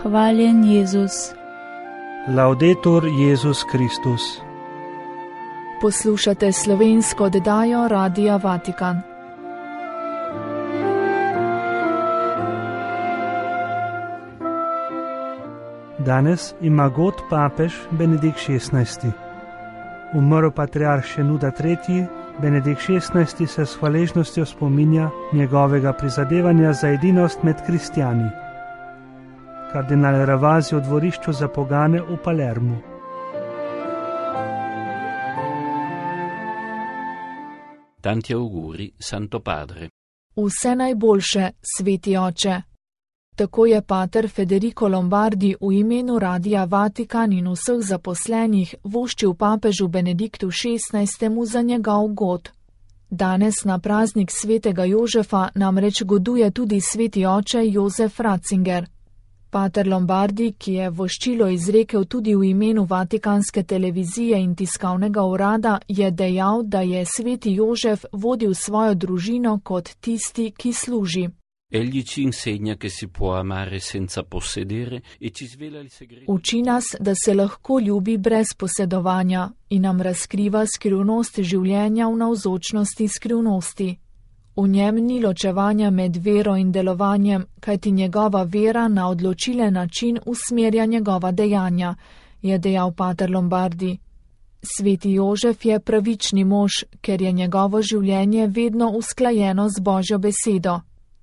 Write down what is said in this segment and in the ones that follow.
Hvaljen Jezus. Laudetur Jezus Kristus. Poslušate slovensko oddajo Radia Vatikan. Danes ima god papež Benedikt XVI. Umrl patriarh Šenuda III. Benedikt XVI. Se s hvaležnostjo spominja njegovega prizadevanja za edinost med kristjani. Kardinal Ravasi v dvorišču za pogane v Palermu. Tanti auguri, Santo Padre. Vse najboljše, sveti oče. Tako je pater Federico Lombardi v imenu Radia Vatikan in vseh zaposlenih voščil papežu Benediktu XVI. Za njegov god. Danes na praznik svetega Jožefa namreč goduje tudi sveti oče Jozef Ratzinger. Pater Lombardi, ki je voščilo izrekel tudi v imenu Vatikanske televizije in tiskovnega urada, je dejal, da je sveti Jožef vodil svojo družino kot tisti, ki služi. Egli ci insegna che si può amare senza possedere e ci svela il segreto. Uči nas, da se lahko ljubi brez posedovanja in nam razkriva skrivnost življenja v navzočnosti skrivnosti. V njem ni ločevanja med vero in delovanjem, kajti njegova vera na odločilen način usmerja njegova dejanja, je dejal pater Lombardi. Sveti Jožef je pravični mož, ker je njegovo življenje vedno usklajeno z Božjo besedo.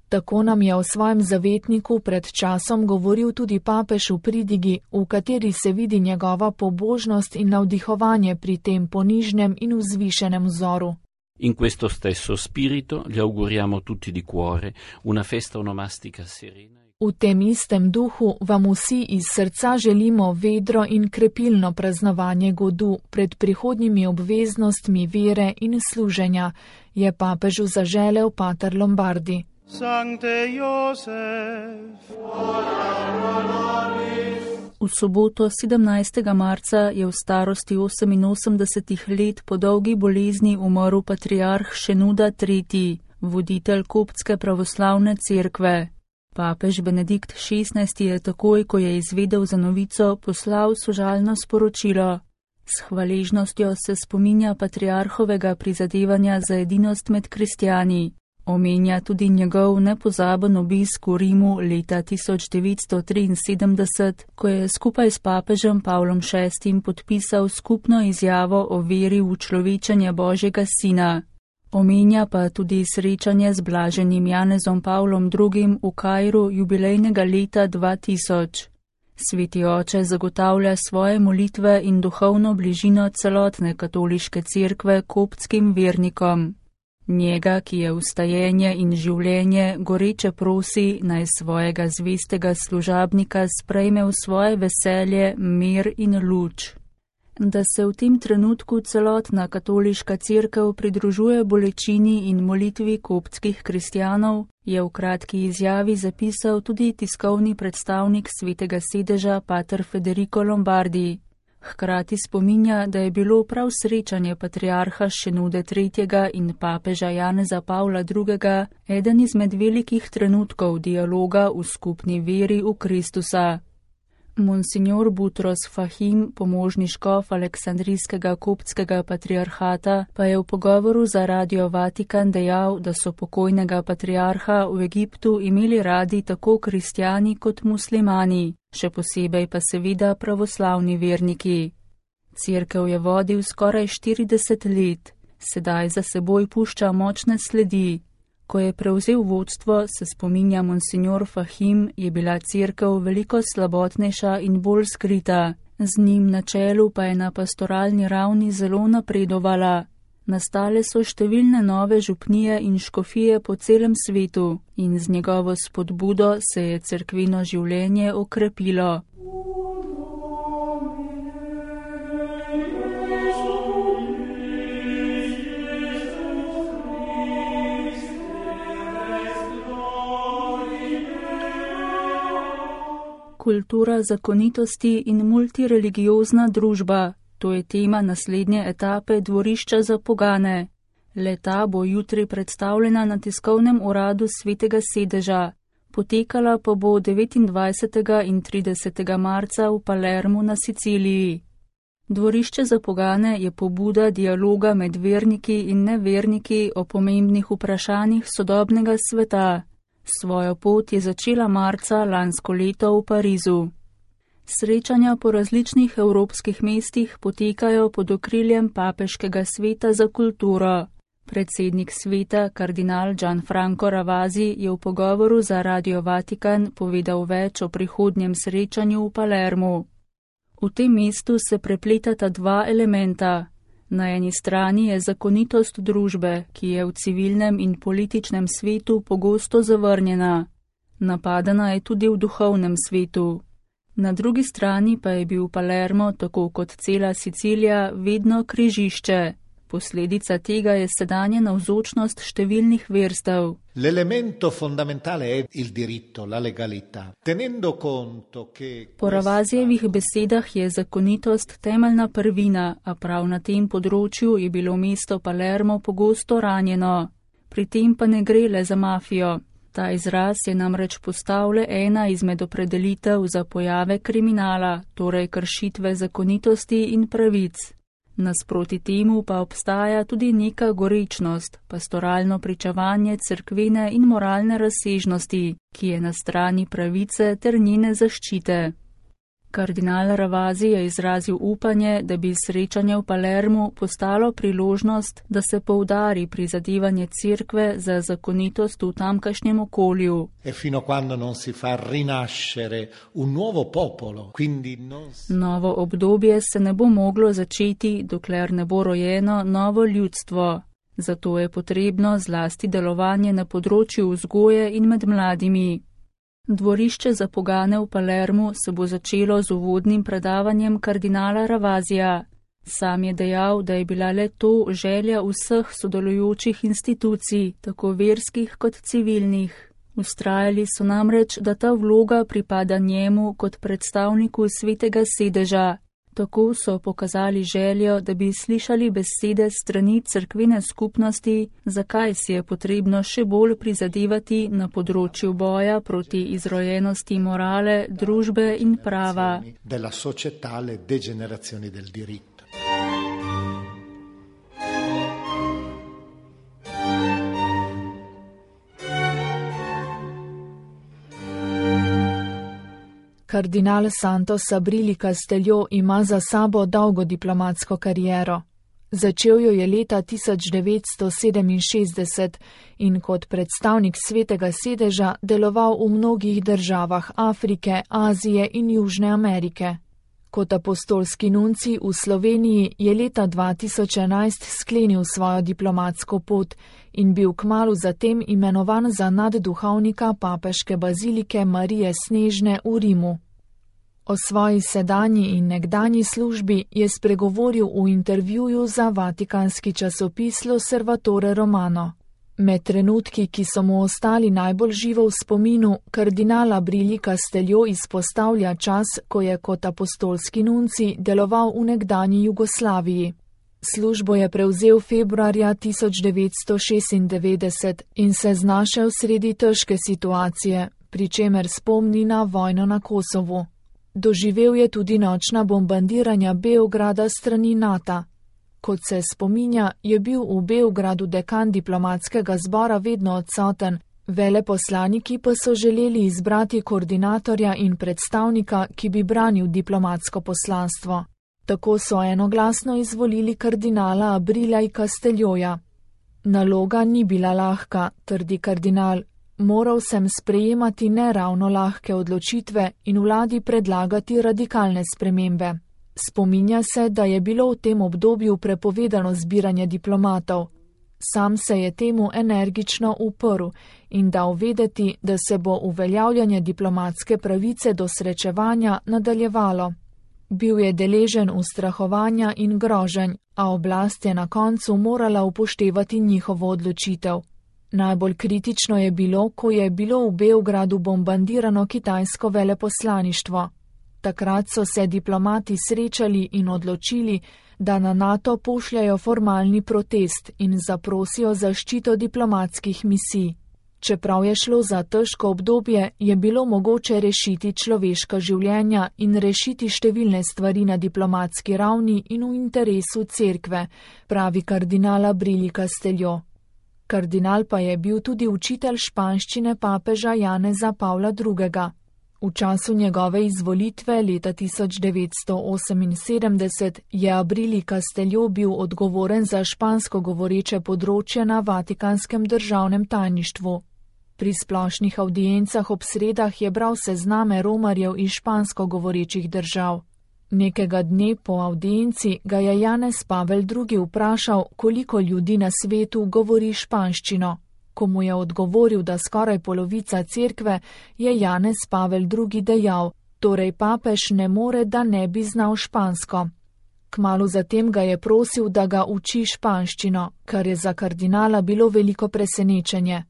Tako nam je v svojem zavetniku pred časom govoril tudi papež v pridigi, v kateri se vidi njegova pobožnost in navdihovanje pri tem ponižnem in vzvišenem vzoru. In questo stesso spirito gli auguriamo tutti di cuore una festa onomastica serena. V tem istem duhu vam vsi iz srca želimo vedro in krepilno praznovanje godu pred prihodnjimi obveznostmi vere in služenja, je papežu zaželel pater Lombardi. Sancte Josef, V soboto 17. marca je v starosti 88 let po dolgi bolezni umrl patriarh Šenuda III., voditelj koptske pravoslavne cerkve. Papež Benedikt XVI. Je takoj, ko je izvedel za novico, poslal sožalno sporočilo. S hvaležnostjo se spominja patriarhovega prizadevanja za edinost med kristjani. Omenja tudi njegov nepozaben obisk v Rimu leta 1973, ko je skupaj s papežem Pavlom VI. Podpisal skupno izjavo o veri v človečenje Božjega Sina. Omenja pa tudi srečanje z blaženim Janezom Pavlom II. V Kairu jubilejnega leta 2000. Sveti oče zagotavlja svoje molitve in duhovno bližino celotne katoliške cerkve koptskim vernikom. Njega, ki je vstajenje in življenje, goreče prosi, naj svojega zvestega služabnika sprejme v svoje veselje, mir in luč. Da se v tem trenutku celotna katoliška cerkev pridružuje bolečini in molitvi koptskih kristjanov, je v kratki izjavi zapisal tudi tiskovni predstavnik svetega sedeža pater Federico Lombardi. Hkrati spominja, da je bilo prav srečanje patriarha Šenude III. In papeža Janeza Pavla II. Eden izmed velikih trenutkov dialoga v skupni veri v Kristusa. Monsignor Butros Fahim, pomožni škof Aleksandrijskega koptskega patriarhata, pa je v pogovoru za Radio Vatikan dejal, da so pokojnega patriarha v Egiptu imeli radi tako kristjani kot muslimani, še posebej pa seveda pravoslavni verniki. Cerkev je vodil skoraj 40 let, sedaj za seboj pušča močne sledi. Ko je prevzel vodstvo, se spominja monsignor Fahim, je bila cerkev veliko slabotnejša in bolj skrita. Z njim na čelu pa je na pastoralni ravni zelo napredovala. Nastale so številne nove župnije in škofije po celem svetu in z njegovo spodbudo se je cerkvino življenje okrepilo. Kultura zakonitosti in multireligiozna družba. To je tema naslednje etape dvorišča za pogane. Le-ta bo jutri predstavljena na tiskovnem uradu svetega sedeža. Potekala pa bo 29. in 30. marca v Palermu na Siciliji. Dvorišče za pogane je pobuda dialoga med verniki in neverniki o pomembnih vprašanjih sodobnega sveta. Svojo pot je začela marca lansko leto v Parizu. Srečanja po različnih evropskih mestih potekajo pod okriljem Papeškega sveta za kulturo. Predsednik sveta, kardinal Gianfranco Ravasi, je v pogovoru za Radio Vatikan povedal več o prihodnjem srečanju v Palermu. V tem mestu se prepletata dva elementa. Na eni strani je zakonitost družbe, ki je v civilnem in političnem svetu pogosto zavrnjena. Napadana je tudi v duhovnem svetu. Na drugi strani pa je bil Palermo, tako kot cela Sicilija, vedno križišče. Posledica tega je sedanja navzočnost številnih verstev. L'elemento fondamentale è il diritto, la legalità. Tenendo conto che Po Ravasijevih besedah je zakonitost temeljna prvina, a prav na tem področju je bilo mesto Palermo pogosto ranjeno. Pri tem pa ne gre le za mafijo. Ta izraz je namreč postal le ena izmed opredelitev za pojave kriminala, torej kršitve zakonitosti in pravic. Nasproti temu pa obstaja tudi neka gorečnost, pastoralno pričevanje cerkvene in moralne razsežnosti, ki je na strani pravice ter njene zaščite. Kardinal Ravasi je izrazil upanje, da bi srečanje v Palermu postalo priložnost, da se poudari prizadevanje cerkve za zakonitost v tamkajšnjem okolju. Novo obdobje se ne bo moglo začeti, dokler ne bo rojeno novo ljudstvo. Zato je potrebno zlasti delovanje na področju vzgoje in med mladimi. Dvorišče za pogane v Palermu se bo začelo z uvodnim predavanjem kardinala Ravasija. Sam je dejal, da je bila le to želja vseh sodelujočih institucij, tako verskih kot civilnih. Vztrajali so namreč, da ta vloga pripada njemu kot predstavniku svetega sedeža. Tako so pokazali željo, da bi slišali besede strani cerkvene skupnosti, zakaj si je potrebno še bolj prizadevati na področju boja proti izrojenosti morale, družbe in prava. Kardinal Santos Abrili Casteljo ima za sabo dolgo diplomatsko kariero. Začel jo je leta 1967 in kot predstavnik svetega sedeža deloval v mnogih državah Afrike, Azije in Južne Amerike. Kot apostolski nunci v Sloveniji je leta 2011 sklenil svojo diplomatsko pot in bil kmalu zatem imenovan za nadduhovnika papeške bazilike Marije Snežne v Rimu. O svoji sedanji in nekdanji službi je spregovoril v intervjuju za vatikanski časopis L'Osservatore Romano. Med trenutki, ki so mu ostali najbolj živo v spominu, kardinal Abrili Casteljo izpostavlja čas, ko je kot apostolski nunci deloval v nekdanji Jugoslaviji. Službo je prevzel februarja 1996 in se znašel sredi težke situacije, pri čemer spomni na vojno na Kosovu. Doživel je tudi nočna bombardiranja Beograda strani NATO. Kot se spominja, je bil v Beogradu dekan diplomatskega zbora vedno odsoten, veleposlaniki pa so želeli izbrati koordinatorja in predstavnika, ki bi branil diplomatsko poslanstvo. Tako so enoglasno izvolili kardinala Abrila Casteljoja. Naloga ni bila lahka, trdi kardinal. Moral sem sprejemati neravno lahke odločitve in vladi predlagati radikalne spremembe. Spominja se, da je bilo v tem obdobju prepovedano zbiranje diplomatov. Sam se je temu energično uprl in dal vedeti, da se bo uveljavljanje diplomatske pravice do srečevanja nadaljevalo. Bil je deležen ustrahovanja in groženj, a oblast je na koncu morala upoštevati njihovo odločitev. Najbolj kritično je bilo, ko je bilo v Beogradu bombardirano kitajsko veleposlaništvo. Takrat so se diplomati srečali in odločili, da na NATO pošljajo formalni protest in zaprosijo zaščito diplomatskih misij. Čeprav je šlo za težko obdobje, je bilo mogoče rešiti človeška življenja in rešiti številne stvari na diplomatski ravni in v interesu cerkve, pravi kardinal Abrili Casteljo. Kardinal pa je bil tudi učitelj španščine papeža Janeza Pavla II. V času njegove izvolitve leta 1978 je Abrili Casteljo bil odgovoren za špansko govoreče področje na Vatikanskem državnem tajništvu. Pri splošnih avdiencah ob sredah je bral sezname romarjev iz špansko govorečih držav. Nekega dne po avdienci ga je Janez Pavel II. Vprašal, koliko ljudi na svetu govori španščino. Ko mu je odgovoril, da skoraj polovica cerkve, je Janez Pavel II. Dejal, torej papež ne more, da ne bi znal špansko. Kmalu zatem ga je prosil, da ga uči španščino, kar je za kardinala bilo veliko presenečenje.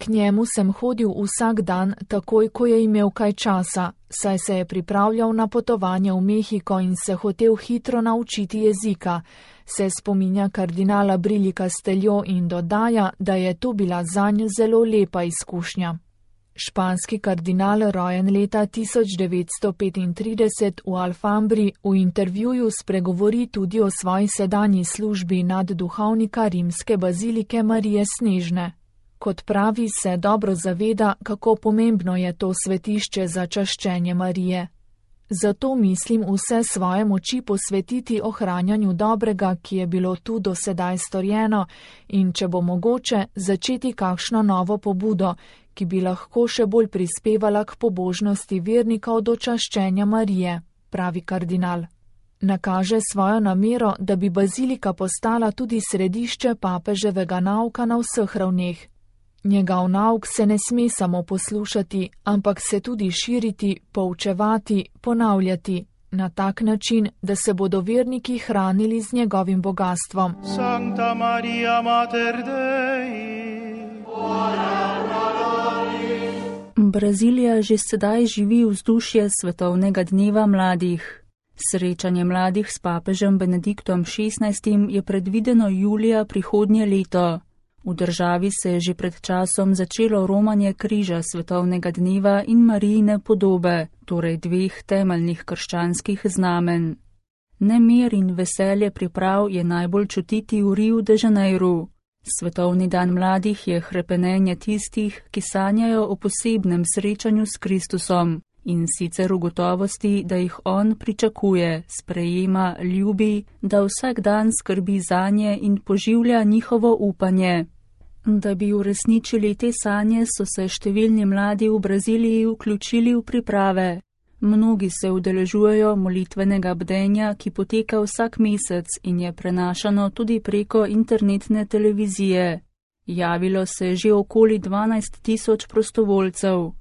K njemu sem hodil vsak dan, takoj ko je imel kaj časa, saj se je pripravljal na potovanje v Mehiko in se hotel hitro naučiti jezika, se spominja kardinal Abrili Casteljo in dodaja, da je to bila zanj zelo lepa izkušnja. Španski kardinal, rojen leta 1935 v Alfambri, v intervjuju spregovori tudi o svoji sedanji službi nadduhovnika rimske bazilike Marije Snežne. Kot pravi, se dobro zaveda, kako pomembno je to svetišče za čaščenje Marije. Zato mislim vse svoje moči posvetiti ohranjanju dobrega, ki je bilo tu do sedaj storjeno, in če bo mogoče, začeti kakšno novo pobudo, ki bi lahko še bolj prispevala k pobožnosti vernikov do čaščenja Marije, pravi kardinal. Nakaže svojo namero, da bi bazilika postala tudi središče papeževega nauka na vseh ravneh. Njegov nauk se ne sme samo poslušati, ampak se tudi širiti, poučevati, ponavljati, na tak način, da se bodo verniki hranili z njegovim bogatstvom. Sancta Maria Mater Dei, Brazilija že sedaj živi vzdušje svetovnega dneva mladih. Srečanje mladih s papežem Benediktom XVI je predvideno julija prihodnje leto. V državi se je že pred časom začelo romanje križa svetovnega dneva in Marijine podobe, torej dveh temeljnih krščanskih znamen. Nemir in veselje priprav je najbolj čutiti v Riu de Janeiru. Svetovni dan mladih je hrepenenje tistih, ki sanjajo o posebnem srečanju s Kristusom, in sicer v gotovosti, da jih on pričakuje, sprejema, ljubi, da vsak dan skrbi zanje in poživlja njihovo upanje. Da bi uresničili te sanje, so se številni mladi v Braziliji vključili v priprave. Mnogi se udeležujejo molitvenega bdenja, ki poteka vsak mesec in je prenašano tudi preko internetne televizije. Javilo se je že okoli 12.000 prostovoljcev.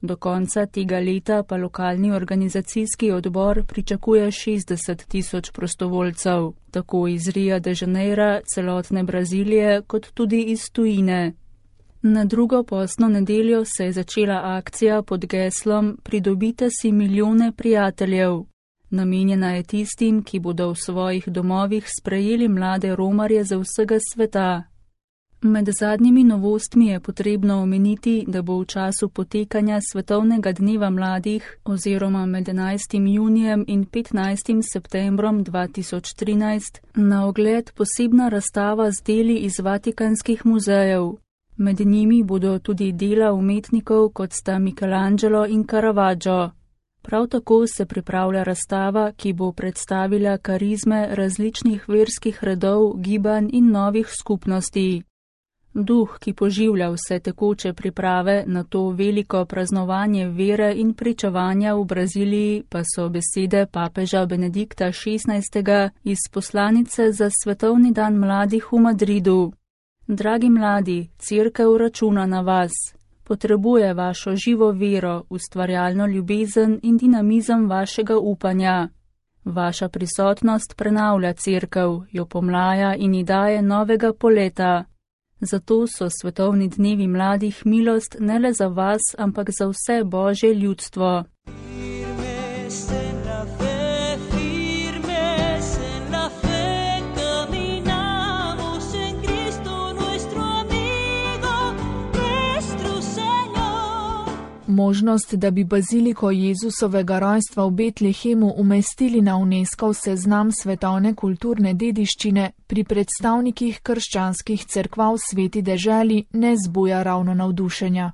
Do konca tega leta pa lokalni organizacijski odbor pričakuje 60.000 prostovoljcev, tako iz Ria de Janeira, celotne Brazilije, kot tudi iz tujine. Na drugo postno nedeljo se je začela akcija pod geslom Pridobite si milijone prijateljev. Namenjena je tistim, ki bodo v svojih domovih sprejeli mlade romarje za vsega sveta. Med zadnjimi novostmi je potrebno omeniti, da bo v času potekanja Svetovnega dneva mladih oziroma med 11. junijem in 15. septembrom 2013 na ogled posebna razstava z deli iz vatikanskih muzejev. Med njimi bodo tudi dela umetnikov, kot sta Michelangelo in Caravaggio. Prav tako se pripravlja razstava, ki bo predstavila karizme različnih verskih redov, gibanj in novih skupnosti. Duh, ki poživlja vse tekoče priprave na to veliko praznovanje vere in pričevanja v Braziliji, pa so besede papeža Benedikta XVI. Iz poslanice za Svetovni dan mladih v Madridu. Dragi mladi, cerkev računa na vas. Potrebuje vašo živo vero, ustvarjalno ljubezen in dinamizem vašega upanja. Vaša prisotnost prenavlja cerkev, jo pomlaja in ji daje novega poleta. Zato so svetovni dnevi mladih milost ne le za vas, ampak za vse Božje ljudstvo. Nuestro amigo, nuestro Možnost, da bi baziliko Jezusovega rojstva v Betlehemu umestili na UNESCOV seznam svetovne kulturne dediščine, pri predstavnikih krščanskih cerkva v Sveti deželi ne zbuja ravno navdušenja.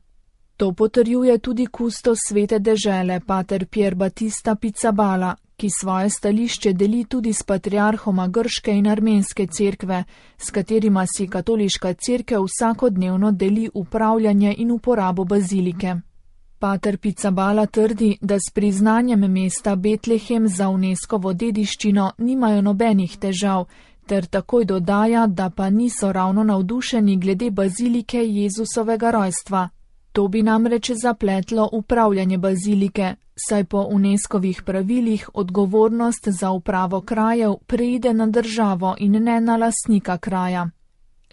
To potrjuje tudi kustos Svete dežele, pater Pier Battista Pizzaballa, ki svoje stališče deli tudi s patriarhoma grške in armenske cerkve, s katerima si katoliška cerkev vsakodnevno deli upravljanje in uporabo bazilike. Pater Pizzaballa trdi, da s priznanjem mesta Betlehem za UNESCOvo dediščino nimajo nobenih težav, ter takoj dodaja, da pa niso ravno navdušeni glede bazilike Jezusovega rojstva. To bi namreč zapletlo upravljanje bazilike, saj po UNESCovih pravilih odgovornost za upravo krajev preide na državo in ne na lastnika kraja.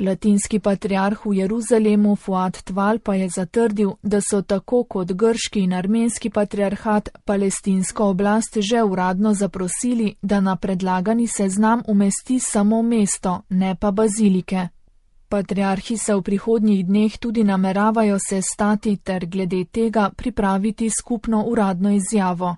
Latinski patriarh v Jeruzalemu Fuad Tval pa je zatrdil, da so tako kot grški in armenski patriarhat palestinsko oblast že uradno zaprosili, da na predlagani seznam umesti samo mesto, ne pa bazilike. Patriarhi se v prihodnjih dneh tudi nameravajo sestati ter glede tega pripraviti skupno uradno izjavo.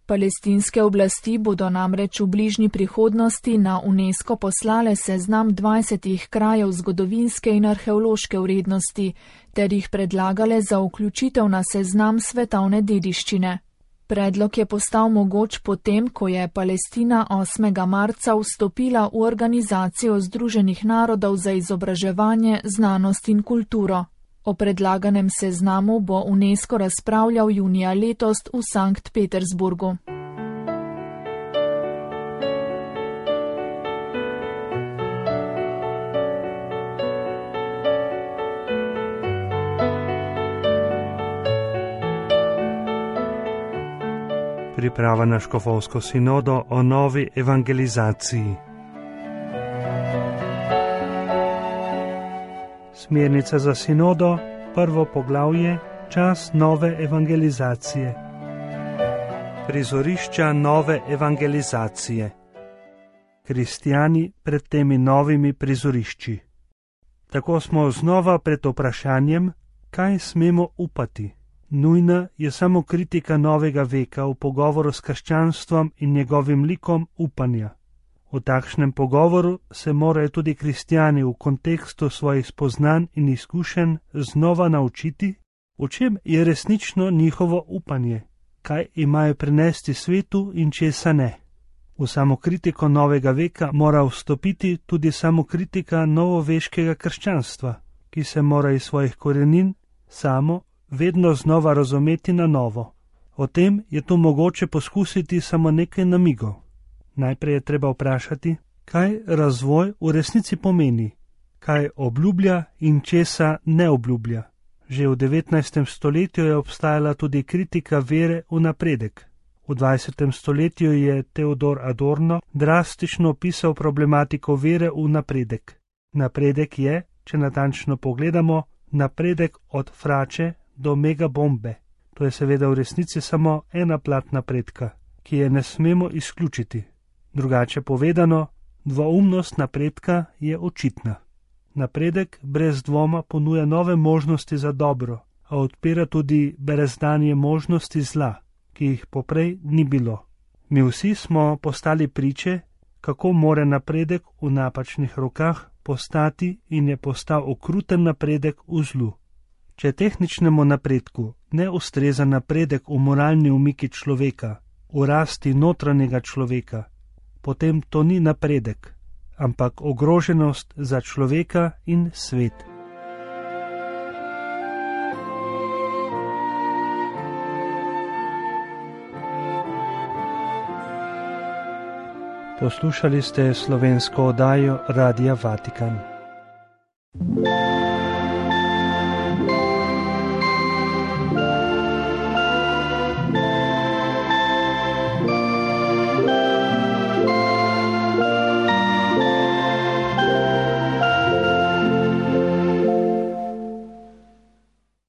Palestinske oblasti bodo namreč v bližnji prihodnosti na UNESCO poslale seznam 20 krajev zgodovinske in arheološke vrednosti, ter jih predlagale za vključitev na seznam svetovne dediščine. Predlog je postal mogoč potem, ko je Palestina 8. marca vstopila v Organizacijo Združenih narodov za izobraževanje, znanost in kulturo. O predlaganem seznamu bo UNESCO razpravljal junija letos v Sankt Petersburgu. Priprava na škofovsko sinodo o novi evangelizaciji. Smernica za sinodo, prvo poglavje, čas nove evangelizacije. Prizorišča nove evangelizacije. Kristjani pred temi novimi prizorišči. Tako smo znova pred vprašanjem, kaj smemo upati. Nujna je samo kritika novega veka v pogovoru s krščanstvom in njegovim likom upanja. V takšnem pogovoru se morajo tudi kristjani v kontekstu svojih spoznanj in izkušenj znova naučiti, v čem je resnično njihovo upanje, kaj imajo prinesti svetu in česa ne. V samokritiko novega veka mora vstopiti tudi samokritika novoveškega krščanstva, ki se mora iz svojih korenin samo vedno znova razumeti na novo. O tem je tu mogoče poskusiti samo nekaj namigov. Najprej je treba vprašati, kaj razvoj v resnici pomeni, kaj obljublja in česa ne obljublja. Že v 19. stoletju je obstajala tudi kritika vere v napredek. V 20. stoletju je Theodor Adorno drastično opisal problematiko vere v napredek. Napredek je, če natančno pogledamo, napredek od frače do megabombe. To je seveda v resnici samo ena plat napredka, ki je ne smemo izključiti. Drugače povedano, dvoumnost napredka je očitna. Napredek brez dvoma ponuja nove možnosti za dobro, a odpira tudi brezdanje možnosti zla, ki jih poprej ni bilo. Mi vsi smo postali priče, kako more napredek v napačnih rokah postati in je postal okruten napredek v zlu. Če tehničnemu napredku ne ustreza napredek v moralni umiki človeka, v rasti notranjega človeka, potem to ni napredek, ampak ogroženost za človeka in svet. Poslušali ste slovensko oddajo Radia Vatikan.